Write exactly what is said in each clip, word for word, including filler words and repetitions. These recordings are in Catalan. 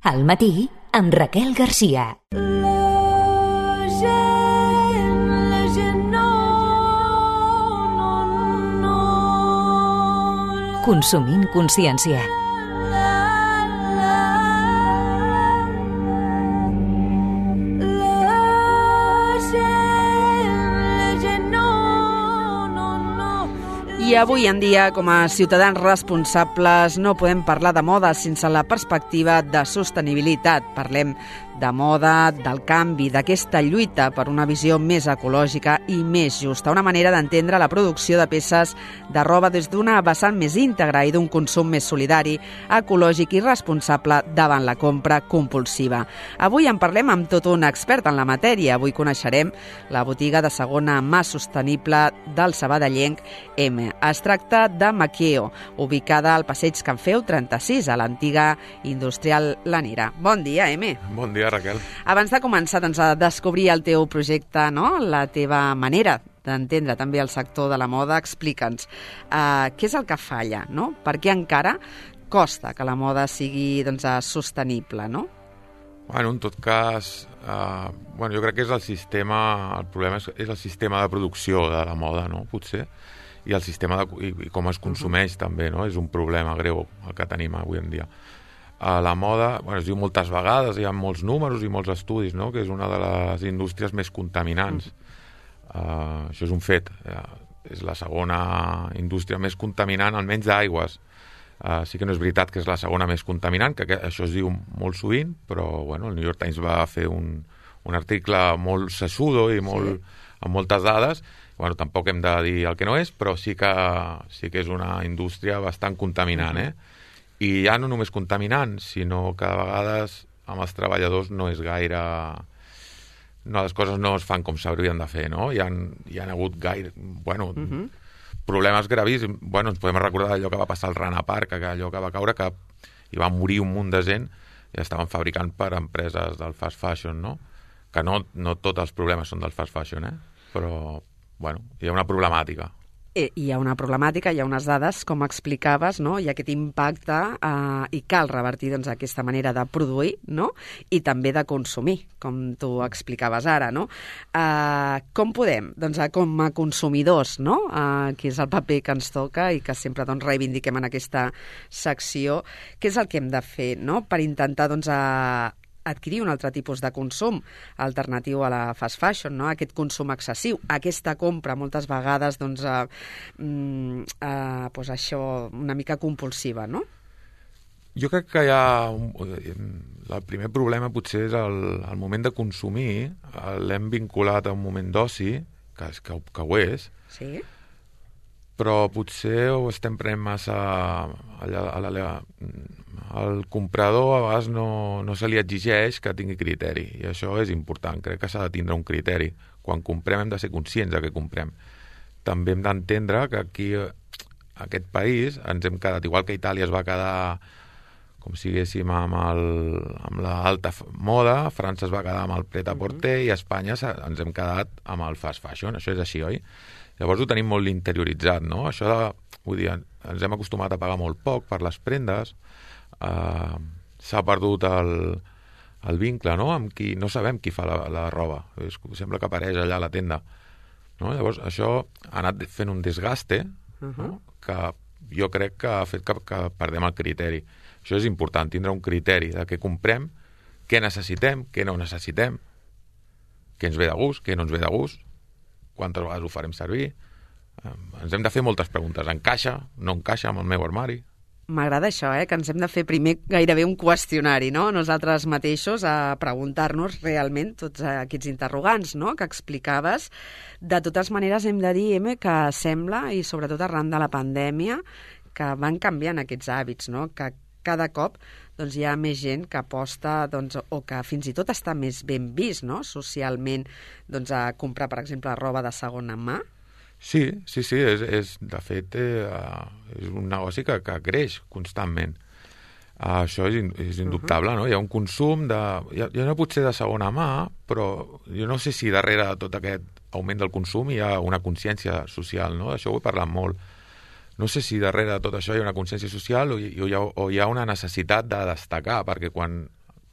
Al matí, amb Raquel Garcia. Consumint consciència. I avui en dia, com a ciutadans responsables, no podem parlar de moda sense la perspectiva de sostenibilitat. Parlem de moda, del canvi, d'aquesta lluita per una visió més ecològica i més justa. Una manera d'entendre la producció de peces de roba des d'una vessant més íntegra i d'un consum més solidari, ecològic i responsable davant la compra compulsiva. Avui en parlem amb tot un expert en la matèria. Avui coneixerem la botiga de segona mà sostenible del sabadellenc M. Es tracta de Maqueo, ubicada al passeig Can Feu trenta-sis, a l'antiga industrial Lanera. Bon dia, M. Bon dia, Raquel. Abans de començar doncs, a descobrir el teu projecte, no? La teva manera d'entendre també el sector de la moda, explica'ns uh, què és el que falla, no? Per què encara costa que la moda sigui doncs, sostenible, no? Bueno, en tot cas, uh, bueno, jo crec que és el sistema, el problema és, és el sistema de producció de la moda, no? Potser. I el sistema de, i, i com es consumeix uh-huh. també, no? És un problema greu el que tenim avui en dia. Uh, la moda, bueno, es diu moltes vegades, hi ha molts números i molts estudis, no? Que és una de les indústries més contaminants. Uh-huh. Uh, això és un fet. Uh, és la segona indústria més contaminant, almenys d'aigües. Uh, sí que no és veritat que és la segona més contaminant, que, que això es diu molt sovint, però bueno, el New York Times va fer un, un article molt sessudo i molt, sí. amb moltes dades. Bueno, tampoc hem de dir el que no és, però sí que, sí que és una indústria bastant contaminant, eh? I ja no només contaminant, sinó que a vegades amb els treballadors no és gaire... No, les coses no es fan com s'haurien de fer, no? Hi ha, hi ha hagut gaire... Bueno, uh-huh. problemes gravíssims. Bueno, ens podem recordar allò que va passar al Rana Park, allò que va caure, que hi va morir un munt de gent i estaven fabricant per empreses del fast fashion, no? Que no, no tots els problemes són del fast fashion, eh? Però... Bueno, hi ha una problemàtica. Eh, hi ha una problemàtica, hi ha unes dades, com explicaves, no? Hi ha aquest impacte eh, i cal revertir doncs, aquesta manera de produir, no? I també de consumir, com tu explicaves ara, no? Eh, com podem, doncs, com a consumidors, no? Eh, que és el paper que ens toca i que sempre doncs, reivindiquem en aquesta secció, què és el que hem de fer, no? Per intentar doncs, a adquirir un altre tipus de consum alternatiu a la fast fashion, no? Aquest consum excessiu, aquesta compra moltes vegades doncs, eh, eh, doncs això una mica compulsiva, no? Jo crec que hi ha... Un, el primer problema potser és el, el moment de consumir, l'hem vinculat a un moment d'oci, que, que, que ho és, sí. Però potser ho estem prenent massa allà, allà, el comprador a vegades no, no se li exigeix que tingui criteri, i això és important. Crec que s'ha de tindre un criteri. Quan comprem hem de ser conscients de què comprem. També hem d'entendre que aquí, a aquest país, ens hem quedat, igual que Itàlia es va quedar, com si diguéssim, amb, el, amb l'alta moda, França es va quedar amb el pret-à-porter, mm-hmm. i a Espanya ens hem quedat amb el fast fashion. Això és així, oi? Llavors ho tenim molt interioritzat, no? Això de, vull dir, ens hem acostumat a pagar molt poc per les prendes, eh, s'ha perdut el, el vincle, no? Amb qui no sabem qui fa la, la roba, és, sembla que apareix allà a la tenda, no? Llavors això ha anat fent un desgaste, uh-huh. no? Que jo crec que ha fet que, que perdem el criteri. Això és important, tindre un criteri de què comprem, què necessitem, què no necessitem, què ens ve de gust, què no ens ve de gust, quantes vegades ho farem servir. Ens hem de fer moltes preguntes. Encaixa? No encaixa amb el meu armari? M'agrada això, eh? Que ens hem de fer primer gairebé un qüestionari, no? Nosaltres mateixos a preguntar-nos realment tots aquests interrogants, no? Que explicaves. De totes maneres hem de dir, Eme, que sembla, i sobretot arran de la pandèmia, que van canviant aquests hàbits, no? Que cada cop doncs, hi ha més gent que aposta doncs, o que fins i tot està més ben vist, no? Socialment, doncs, a comprar, per exemple, roba de segona mà. Sí, sí, sí. És, és, de fet, eh, és un negoci que, que creix constantment. Uh, això és, és indubtable, uh-huh. no? Hi ha un consum de... Ja, ja no pot ser de segona mà, però jo no sé si darrere de tot aquest augment del consum hi ha una consciència social, no? D'això ho he parlat molt. No sé si darrere de tot això hi ha una consciència social o hi, o hi, ha, o hi ha una necessitat de destacar, perquè quan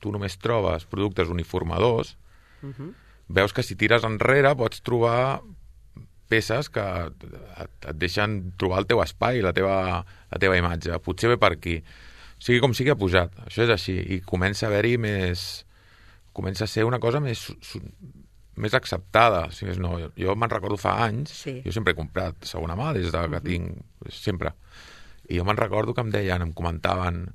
tu només trobes productes uniformadors, uh-huh. veus que si tires enrere pots trobar peces que et, et deixen trobar el teu espai, la teva, la teva imatge. Potser ve per aquí. Sigui com sigui, ha pujat. Això és així. I comença a haver-hi més... Comença a ser una cosa més, més acceptada. Si més no, jo me'n recordo fa anys, sí. jo sempre he comprat segona mà des de que uh-huh. tinc... Sempre. I jo me'n recordo que em deien, em comentaven...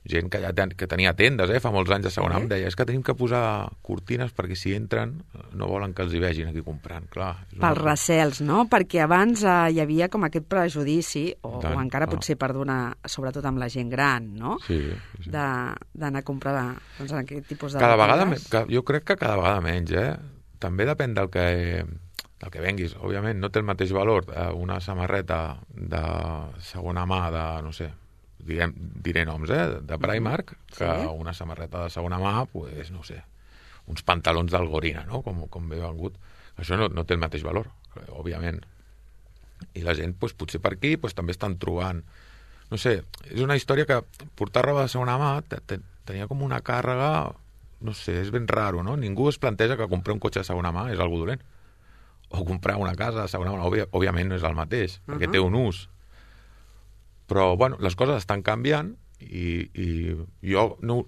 gent que ja ten, que tenia tendes, eh, fa molts anys de segona, sí. em deia, és que tenim que posar cortines perquè si entren no volen que els hi vegin aquí comprant, clar. Pels recels, no? Perquè abans eh, hi havia com aquest prejudici, o, Tant, o encara no. potser per donar, sobretot amb la gent gran, no? Sí, sí. D'anar a comprar doncs, en aquest tipus de... Cada vegada, que, jo crec que cada vegada menys, eh? També depèn del que, del que venguis. Òbviament no té el mateix valor eh, una samarreta de segona mà de, no sé, Direm, diré noms, eh? De Primark, que sí? una samarreta de segona mà, pues, no sé, uns pantalons d'Algorina, no? Com, com bé vengut. Això no, no té el mateix valor, òbviament. I la gent, pues, potser per aquí, pues, també estan trobant... No sé, és una història que portar roba de segona mà tenia com una càrrega... No sé, és ben raro, no? Ningú es planteja que comprar un cotxe de segona mà és algo dolent. O comprar una casa de segona mà, òbvia, òbviament no és el mateix, uh-huh. perquè té un ús. Però, bueno, les coses estan canviant i, i jo no,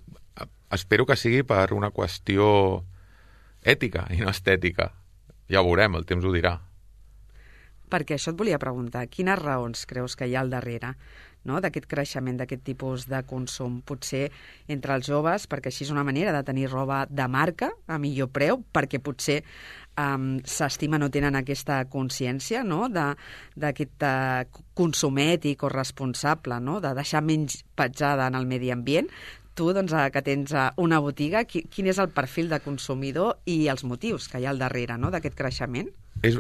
espero que sigui per una qüestió ètica i no estètica. Ja ho veurem, el temps ho dirà. Perquè això et volia preguntar, quines raons creus que hi ha al darrere, no?, d'aquest creixement, d'aquest tipus de consum? Potser entre els joves, perquè així és una manera de tenir roba de marca a millor preu, perquè potser um, s'estima, no tenen aquesta consciència, no?, d'aquest uh, consum ètic o responsable, no?, de deixar menys petjada en el medi ambient. Tu, doncs, que tens una botiga, quin és el perfil de consumidor i els motius que hi ha al darrere, no?, d'aquest creixement? És...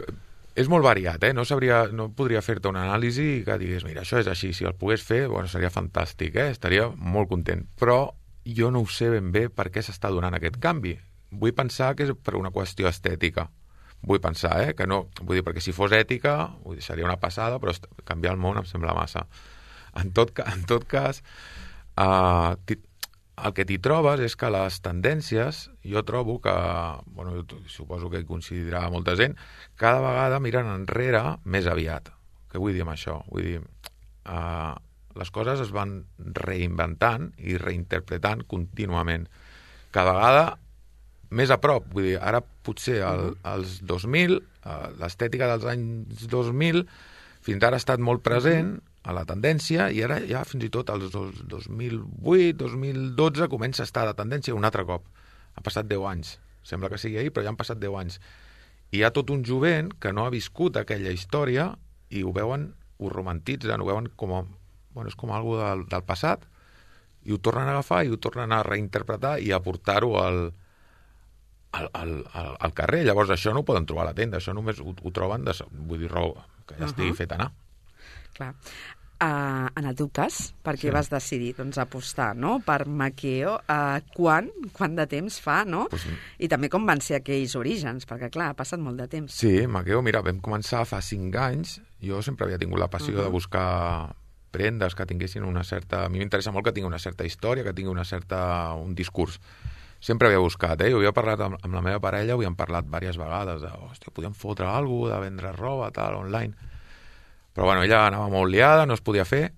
És molt variat, eh? No, sabria, no podria fer-te una anàlisi que digués, mira, això és així, si el pogués fer, bueno, seria fantàstic, eh? Estaria molt content. Però jo no ho sé ben bé per què s'està donant aquest canvi. Vull pensar que és per una qüestió estètica. Vull pensar, eh? Que no, vull dir, perquè si fos ètica, vull dir, seria una passada, però canviar el món em sembla massa. En tot, en tot cas, eh, el que t'hi trobes és que les tendències, jo trobo que, bueno, suposo que hi coincidirà molta gent, cada vegada miren enrere més aviat. Què vull dir amb això? Vull dir, eh, les coses es van reinventant i reinterpretant contínuament. Cada vegada més a prop. Vull dir, ara potser el, als dos mil, eh, l'estètica dels anys dos mil, fins ara ha estat molt present a la tendència, i ara ja fins i tot als dos mil vuit, dos mil dotze comença a estar de tendència un altre cop. Ha passat deu anys. Sembla que sigui ahir, però ja han passat deu anys. I hi ha tot un jovent que no ha viscut aquella història i ho veuen, ho romantitzen, ho veuen com a, bueno, és com algo del, del passat, i ho tornen a agafar i ho tornen a reinterpretar i a portar-ho al, al, al, al, al carrer. Llavors això no ho poden trobar a la tenda, això només ho, ho troben, de, vull dir, roba que ja estigui uh-huh. fet anar. Clar. Uh, en el teu cas, per què sí. vas decidir doncs, apostar, no?, per Makeo? Uh, quan? Quant de temps fa, no? Pues, I també com van ser aquells orígens, perquè, clar, ha passat molt de temps. Sí, Makeo, mira, vam començar fa cinc anys. Jo sempre havia tingut la passió uh-huh. de buscar prendes que tinguessin una certa... A mi m'interessa molt que tingui una certa història, que tingui una certa... un discurs. Sempre havia buscat, eh? Jo havia parlat amb, amb la meva parella, ho havíem parlat diverses vegades, de, hòstia, podíem fotre alguna cosa, de vendre roba, tal, online... Però bueno, ella anava molt liada, no es podia fer,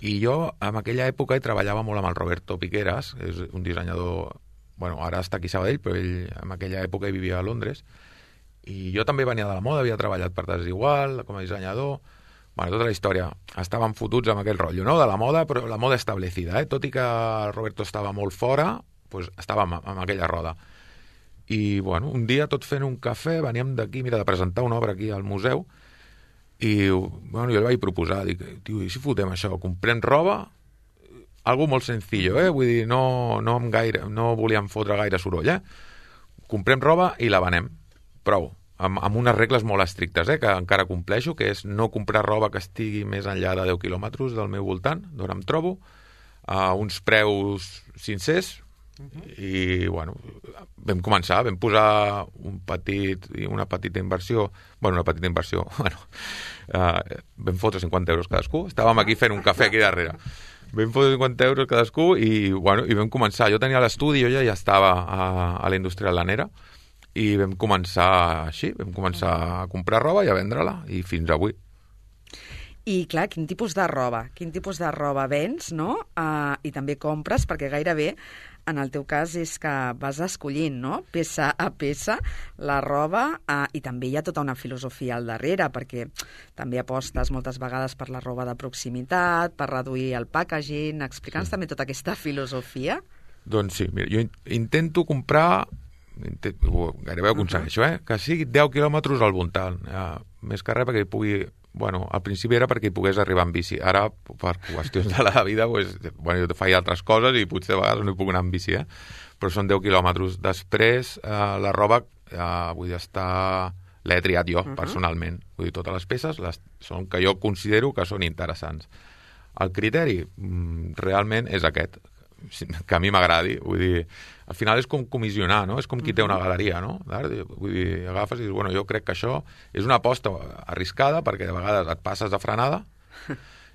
i jo en aquella època hi treballava molt amb el Roberto Piqueras, és un dissenyador, bueno, ara està aquí a Sabadell, però ell en aquella època hi vivia a Londres, i jo també venia de la moda, havia treballat per Desigual, com a dissenyador, bueno, tota la història, estàvem fotuts amb aquell rotllo, no?, de la moda, però la moda establecida, eh? Tot i que el Roberto estava molt fora, pues estàvem amb aquella roda. I, bueno, un dia, tot fent un cafè, veníem d'aquí, mira, de presentar una obra aquí al museu, i bueno, jo li vaig proposar, dic, tio, i si fotem això, comprem roba, algo molt sencillo, eh? Vull dir, no, no, amb gaire, no volíem fotre gaire soroll, eh? Comprem roba i la venem, prou, amb, amb unes regles molt estrictes, eh? Que encara compleixo, que és no comprar roba que estigui més enllà de deu quilòmetres del meu voltant, d'on em trobo, a uns preus sincers, uh-huh. i bueno, vam començar, vam posar un petit, una petita inversió, bueno, una petita inversió, bueno, uh, vam fotre cinquanta euros cadascú, estàvem aquí fent un cafè aquí darrere, Vam posar cinquanta euros cadascú i, bueno, i vam començar. Jo tenia l'estudi, jo ja, ja estava a, a la indústria lanera i vam començar així, vam començar a comprar roba i a vendre-la i fins avui. I, clar, quin tipus de roba? Quin tipus de roba vens, no? Uh, I també compres, perquè gairebé, en el teu cas, és que vas escollint, no?, peça a peça, la roba, uh, i també hi ha tota una filosofia al darrere, perquè també apostes moltes vegades per la roba de proximitat, per reduir el packaging. Explica'ns sí. també tota aquesta filosofia. Doncs sí, mira, jo intento comprar, intento, gairebé ho aconsegueixo, uh -huh. eh? que sigui deu quilòmetres al voltant, uh, més que res perquè hi pugui... Bueno, al principi era perquè hi pogués arribar en bici. Ara, per qüestions de la vida, pues, bueno, jo faig altres coses i potser de vegades no hi puc anar en bici, eh? Però són deu quilòmetres. Després, eh, la roba, eh, vull dir, està... l'he triat jo, uh -huh. personalment. Vull dir, totes les peces les... són que jo considero que són interessants. El criteri, realment, és aquest, que a mi m'agradi. Vull dir, al final és com comissionar, no? És com qui té una galeria, no? Vull dir, agafes i dius, bueno, jo crec que això és una aposta arriscada perquè de vegades et passes de frenada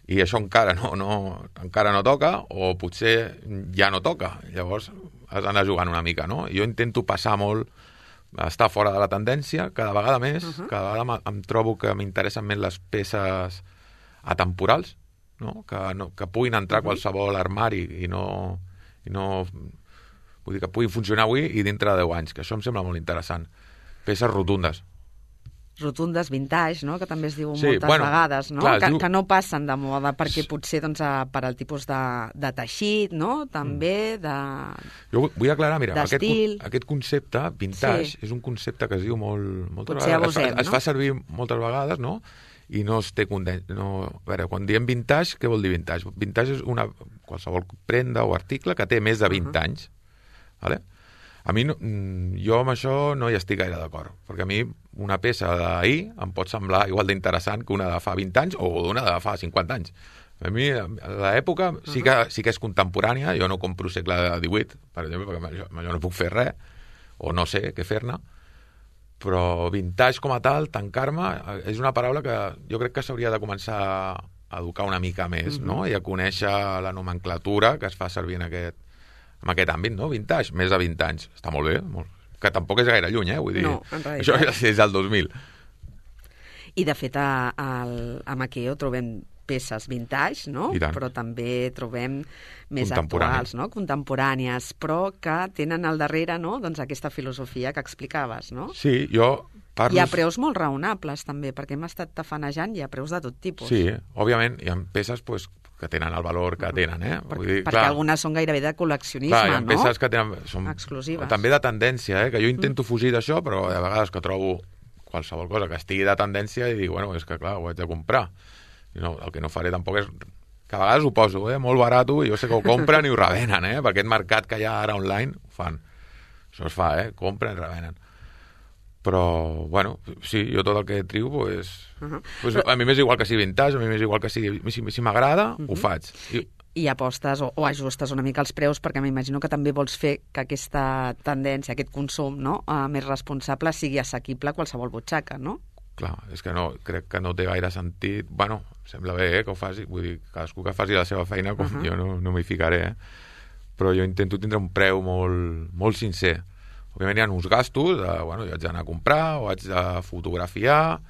i això encara no, no, encara no toca o potser ja no toca. Llavors has d'anar jugant una mica, no? Jo intento passar molt, estar fora de la tendència, cada vegada més, uh -huh. cada vegada em trobo que m'interessen més les peces atemporals, no? Que, no, que puguin entrar a qualsevol armari i no... I no vull dir que puguin funcionar avui i dintre de deu anys, que això em sembla molt interessant. Peces rotundes. Rotundes, vintage, no?, que també es diu sí, moltes bueno, vegades, no? Clar, que, diu... que no passen de moda perquè potser doncs, per al tipus de, de teixit, no?, també, de Jo vull aclarar, mira, aquest, d'estil. aquest concepte, vintage, sí. és un concepte que es diu molt... moltes potser vegades, abusem, es, no? es fa servir moltes vegades, no?, i no es té content. No, a veure, quan diem vintage, què vol dir vintage? Vintage és una, qualsevol prenda o article que té més de vint uh -huh. anys. Vale? A mi, no, jo amb això no hi estic gaire d'acord, perquè a mi una peça d'ahir em pot semblar igual d'interessant que una de fa vint anys o una de fa cinquanta anys. A mi, l'època sí que, sí que és contemporània, jo no compro segle divuit, per exemple, perquè amb això, amb això no puc fer res, o no sé què fer-ne, però vintage com a tal, tancar-me, és una paraula que jo crec que s'hauria de començar a educar una mica més, uh-huh. no? I a conèixer la nomenclatura que es fa servir en aquest, en aquest àmbit, no? Vintage, més de vint anys. Està molt bé, molt... que tampoc és gaire lluny, eh? Vull dir, no, en això és del dos mil. I, de fet, a, a, a Makeo trobem peces vintage, no? Però també trobem més actuals, no? Contemporànies, però que tenen al darrere, no?, doncs aquesta filosofia que explicaves, no? Sí, jo parlo... Hi ha preus molt raonables, també, perquè hem estat tafanejant, hi ha preus de tot tipus. Sí, òbviament, hi ha peces, pues, que tenen el valor que tenen, eh? Per, Vull dir, perquè clar, algunes són gairebé de col·leccionisme, clar, hi ha no? peces que tenen... Són exclusives. També de tendència, eh? Que jo intento fugir d'això, però de vegades que trobo qualsevol cosa que estigui de tendència i dic, bueno, és que clar, ho haig de comprar. I no, el que no faré tampoc és... Que a vegades ho poso, eh? Molt barat, i jo sé que ho compren i ho revenen, eh? Per aquest mercat que hi ha ara online, ho fan. Això es fa, eh? Compren i revenen. Però, bueno, sí, jo tot el que trio, pues, uh -huh. pues Però... a mi m'és igual que sigui vintage, a mi m'és igual que sigui... Si, si m'agrada, uh -huh. ho faig. I... I apostes o, o ajustes una mica els preus, perquè m'imagino que també vols fer que aquesta tendència, aquest consum, no?, uh, més responsable sigui assequible a qualsevol butxaca, no? Clar, és que no, crec que no té gaire sentit. Bueno, sembla bé, eh, que ho faci. Vull dir, cadascú que faci la seva feina, com uh -huh. jo no, no m'hi ficaré, eh? Però jo intento tindre un preu molt, molt sincer. Òbviament hi ha uns gastos, de, bueno, jo haig d'anar a comprar, o haig de fotografiar,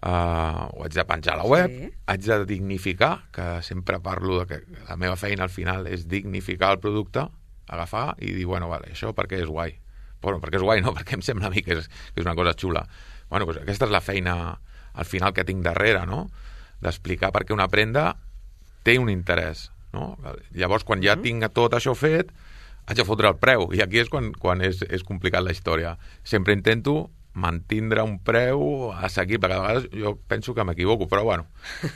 uh, o haig de penjar a la web, sí. haig de dignificar, que sempre parlo de que la meva feina al final és dignificar el producte, agafar i dir, bueno, vale, això perquè és guai. Bueno, perquè és guai, no? Perquè em sembla a mi que és, que és una cosa xula. Bueno, doncs aquesta és la feina al final que tinc darrere, no? D'explicar per què una prenda té un interès, no? Llavors, quan ja tinc tot això fet, haig de fotre el preu, i aquí és quan, quan és, és complicat la història. Sempre intento mantindre un preu assequible, que a vegades jo penso que m'equivoco, però bueno,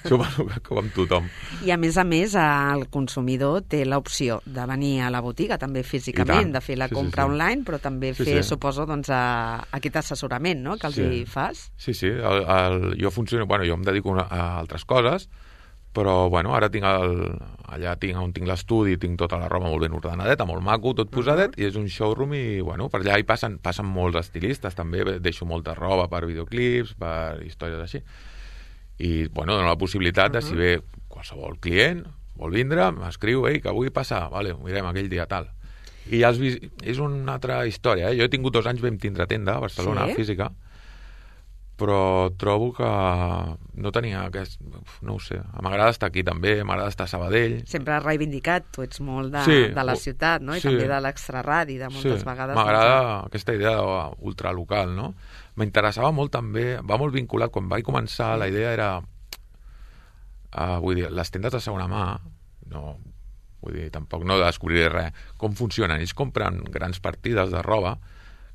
suposo que com tothom. I a més a més, el consumidor té l'opció de venir a la botiga, també físicament, de fer la sí, compra sí, sí. online, però també sí, fer, sí. suposo, doncs, a, a aquest assessorament, no?, que els sí. hi fas. Sí, sí, el, el, jo funciono, bueno, jo em dedico a, a altres coses, però, bueno, ara tinc el, allà tinc, on tinc l'estudi, tinc tota la roba molt ben ordenadeta, molt maco, tot posadet, uh-huh. i és un showroom i, bueno, per allà hi passen, passen molts estilistes, també deixo molta roba per videoclips, per històries així. I, bueno, dono la possibilitat uh-huh. de, si ve qualsevol client, vol vindre, m'escriu, ei, que vull passar, vale, ho mirem aquell dia tal. I ja has vist, és una altra història, eh? Jo he tingut dos anys, vam tindre tenda a Barcelona, sí? Física, però trobo que no tenia aquest... No ho sé, m'agrada estar aquí també, m'agrada estar a Sabadell. Sempre has reivindicat, tu ets molt de, sí, de la ciutat, no? I sí, també de l'extraradi, de moltes sí, vegades... M'agrada doncs... aquesta idea ultralocal, no? M'interessava molt també, va molt vinculat, quan vaig començar, la idea era... Uh, vull dir, les tendes de segona mà, no, vull dir, tampoc no descobriré res, com funcionen. Ells compren grans partides de roba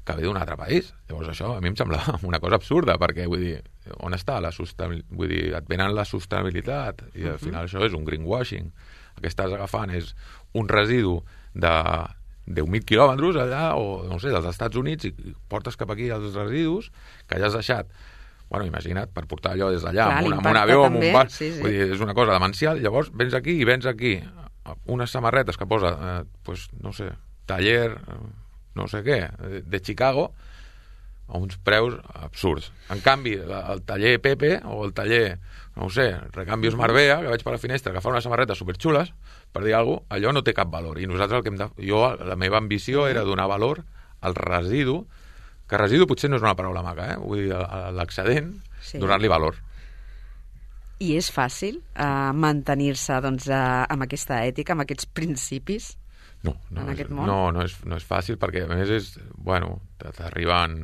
que ve d'un altre país. Llavors això a mi em sembla una cosa absurda, perquè vull dir, on està la sostenibilitat? Vull dir, et venen la sostenibilitat i al final això és un greenwashing. El que estàs agafant és un residu de deu mil quilòmetres allà, o no sé, dels Estats Units, i portes cap aquí els residus que ja has deixat. Bueno, imagina't, per portar allò des d'allà, amb, un, amb un avió, amb un bar... Sí, sí. Vull dir, és una cosa demencial. Llavors, vens aquí i vens aquí unes samarretes que posa, eh, pues, no sé, taller, no sé què, de, de Chicago, a uns preus absurds. En canvi, la, el taller Pepe, o el taller, no ho sé, Recambios Marbella, que veig per la finestra, que fa unes samarretes superxules, per dir alguna cosa, allò no té cap valor. I nosaltres el que hem de... Jo, la meva ambició era donar valor al residu, que residu potser no és una paraula maca, eh? Vull dir, l'excedent, sí, donar-li valor. I és fàcil uh, mantenir-se doncs, uh, amb aquesta ètica, amb aquests principis no, no, en és, aquest món? No, no és, no és fàcil, perquè a més és, bueno, t'arriben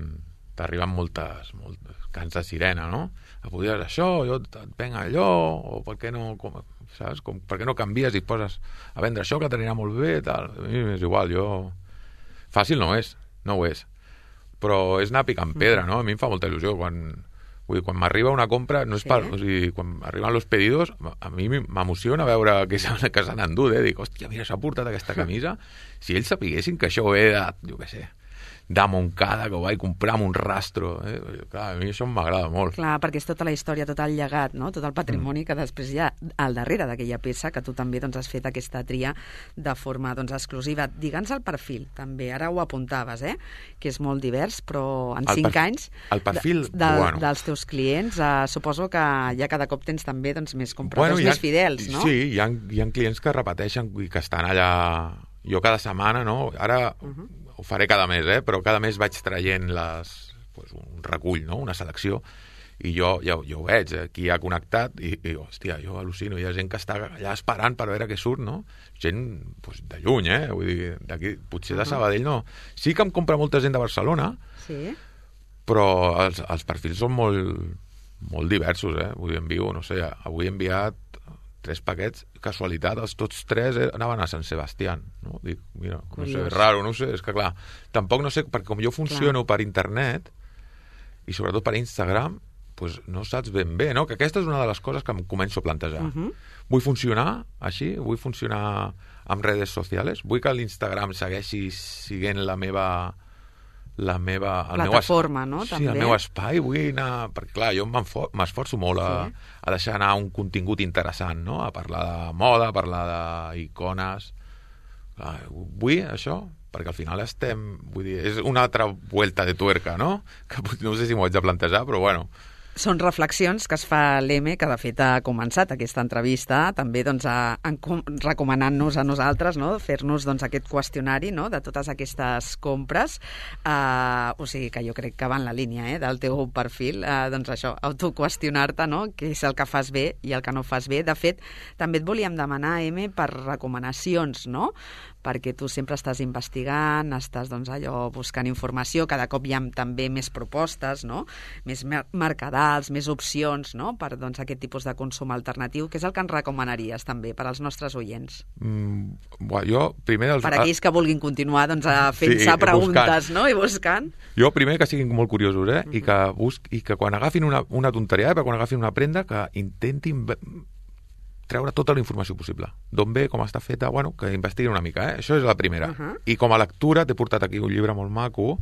t'arriben moltes, moltes cants de sirena, no? A poder això, jo et venc allò, o per què no, com, saps? Com, per què no canvies i et poses a vendre això que t'anirà molt bé, tal. A mi és igual, jo... Fàcil no és, no ho és. Però és anar picant pedra, no? A mi em fa molta il·lusió quan, vull dir, quan m'arriba una compra, no és sí. per, o sigui, quan arriben els pedidos, a mi m'emociona veure que s'han endut, eh? Dic, hòstia, mira, s'ha portat aquesta camisa. Si ells sapiguessin que això ve de, jo què sé, de Montcada, que ho vaig comprar amb un rastro, eh? Clar, a mi això m'agrada molt. Clar, perquè és tota la història, tot el llegat, no? Tot el patrimoni mm. que després hi ha al darrere d'aquella peça, que tu també doncs, has fet aquesta tria de forma doncs, exclusiva. Digue'ns el perfil, també, ara ho apuntaves, eh? Que és molt divers, però en el cinc anys el perfil, de, de, bueno. dels teus clients, eh, suposo que ja cada cop tens també doncs, més compradors, bueno, ha, més fidels, no? Sí, hi ha, hi ha clients que repeteixen i que estan allà... Jo cada setmana, no? Ara... Uh -huh. Ho faré cada mes, eh? Però cada mes vaig traient les, pues, un recull, no? Una selecció, i jo ja, ja ho veig, aquí ha connectat, i, i hòstia, jo al·lucino, hi ha gent que està allà esperant per veure què surt, no? Gent pues, de lluny, eh? Vull dir, d'aquí, potser de Sabadell no. Sí que em compra molta gent de Barcelona, sí, però els, els perfils són molt, molt diversos, eh? Vull dir, envio, no sé, avui he enviat tres paquets, casualitat, els tots tres anaven a Sant Sebastián, no? Dic, mira, curiós. No sé, raro, no sé, és que clar, tampoc no sé, perquè com jo funciono clar. Per internet, i sobretot per Instagram, pues no saps ben bé, no? Que aquesta és una de les coses que em començo a plantejar. Uh -huh. Vull funcionar així? Vull funcionar amb redes socials? Vull que l'Instagram segueixi siguent la meva... la meva... El plataforma, meu no? Sí, també. El meu espai, vull anar... Perquè, clar, jo m'esforço molt a, sí. a deixar anar un contingut interessant, no? A parlar de moda, a parlar d'icones... Vull això, perquè al final estem... Vull dir, és una altra vuelta de tuerca, no? Que no sé si m'ho haig de plantejar, però bueno... Són reflexions que es fa l'E M, que de fet ha començat aquesta entrevista, també doncs, a, a, recomanant-nos a nosaltres, no? Fer-nos doncs, aquest qüestionari, no? De totes aquestes compres. Uh, o sigui que jo crec que va en la línia eh? Del teu perfil. Uh, doncs això, autoqüestionar-te, no? Què és el que fas bé i el que no fas bé. De fet, també et volíem demanar, M, per recomanacions, no? Perquè tu sempre estàs investigant, estàs doncs, allò, buscant informació, cada cop hi ha també més propostes, no? Més mercadals, més opcions, no? Per doncs, aquest tipus de consum alternatiu. Què és el que ens recomanaries també per als nostres oients? Mm, bueno, jo primer... Els... Per aquells que vulguin continuar doncs, fent-se sí, preguntes buscant. No? I buscant. Jo primer que siguin molt curiosos eh? uh-huh. I, que busc... I que quan agafin una, una tonteria, eh? Quan agafin una prenda, que intentin... treure tota la informació possible. D'on ve, com està feta, bueno, que investiguin una mica, eh? Això és la primera. Uh-huh. I com a lectura t'he portat aquí un llibre molt maco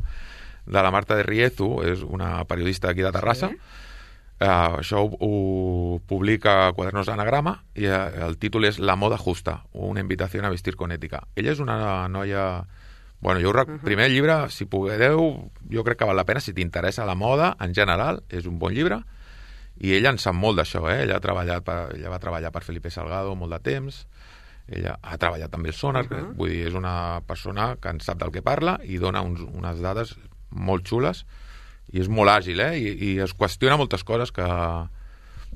de la Marta de Riezu, és una periodista d'aquí de Terrassa. Sí. Uh, això ho, ho publica Quadernos d'Anagrama i uh, el títol és La moda justa, una invitació a vestir con ètica. Ella és una noia... Bueno, jo rec... uh-huh. Primer llibre, si podeu, jo crec que val la pena, si t'interessa la moda en general, és un bon llibre. I ella en sap molt d'això, eh? Ella ha treballat per, ella va treballar per Felipe Salgado molt de temps, ella ha treballat també el Sonar, uh -huh. vull dir, és una persona que en sap del que parla i dona uns, unes dades molt xules i és molt àgil, eh? I, i es qüestiona moltes coses que,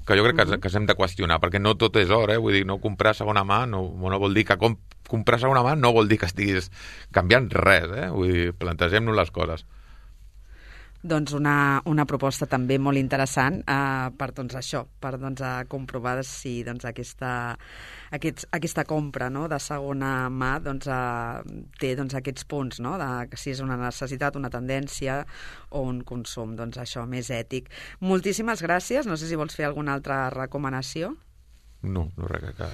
que jo crec que, uh -huh. que s'hem de qüestionar, perquè no tot és or, eh? Vull dir, no comprar segona mà no, no vol dir que com, comprar segona mà no vol dir que estiguis canviant res, eh? Vull dir, plantegem-nos les coses. Doncs una, una proposta també molt interessant eh, per doncs, això, per doncs, a comprovar si doncs, aquesta, aquests, aquesta compra, no?, de segona mà doncs, eh, té doncs, aquests punts, no?, de, que si és una necessitat, una tendència o un consum doncs, això més ètic. Moltíssimes gràcies. No sé si vols fer alguna altra recomanació. No, no res, que,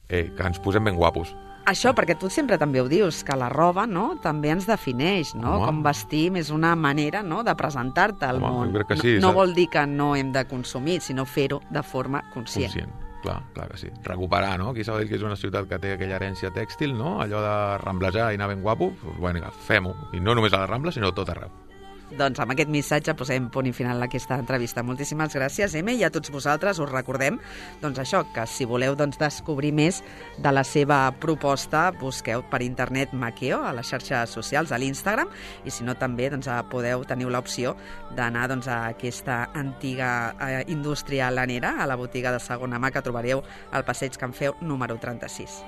eh, que ens posem ben guapos. Això, perquè tu sempre també ho dius, que la roba, no?, també ens defineix, no? Home. Com vestim és una manera, no?, de presentar-te al Home, món. jo crec que sí, no, no saps? vol dir que no hem de consumir, sinó fer-ho de forma conscient. Conscient, clar, clar que sí. Recuperar, no? Aquí Sabadell, que és una ciutat que té aquella herència tèxtil, no? Allò de ramblejar i anar ben guapo, doncs, bueno, fem-ho. I no només a la Rambla, sinó a tot arreu. Doncs amb aquest missatge posem punt i final a aquesta entrevista. Moltíssimes gràcies, Eme, i a tots vosaltres us recordem doncs això, que si voleu doncs, descobrir més de la seva proposta, busqueu per internet Maqueo a les xarxes socials, a l'Instagram, i si no també doncs, podeu teniu l'opció d'anar doncs, a aquesta antiga eh, indústria lanera, a la botiga de segona mà que trobareu al Passeig Can Feu número trenta-sis.